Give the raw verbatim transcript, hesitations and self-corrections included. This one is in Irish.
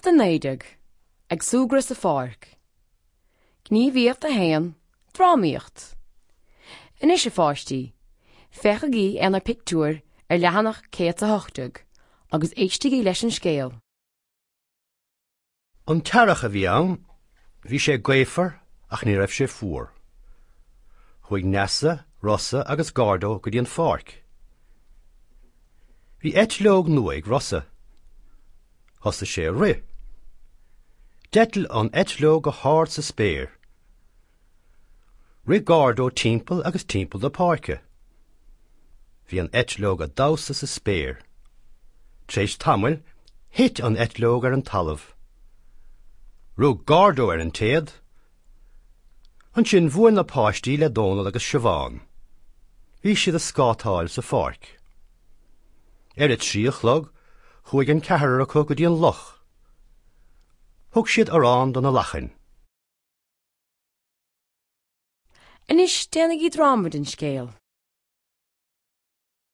Ceacht a naoi déag, Ag súgradh sa pháirc. Gníomhaíocht a haon, Drámaíocht. Anois a pháistí, féachaigí ar na pictiúir ar leathanach céad a hocht déag agus éistigí leis an scéal. An t-earrach a bhí ann, bhí sé gaofar ach ní raibh sé fuar. Chuaigh Neasa, Rossa agus Gardo go dtí an pháirc. Bhí eitleog nua ag Rossa. Thosaigh sé ag rith. D'eitil an eitleog go hard sa spéir. Rith Gardo timpeall agus timpeall na páirce. Bhí an eitleog ag damhsa sa spéir. Tar éis tamaill, thit an eitleog ar an talamh. Rug Gardo ar an téad. Ansin bhuail na páistí le Dónal agus Siobhán. Bhí siad ag scátáil sa pháirc. Ar a trí a chlog, chuaigh an ceathrar acu go dtí an loch. Thug siad arán do na lachain. Anois déanaigí dráma den scéal.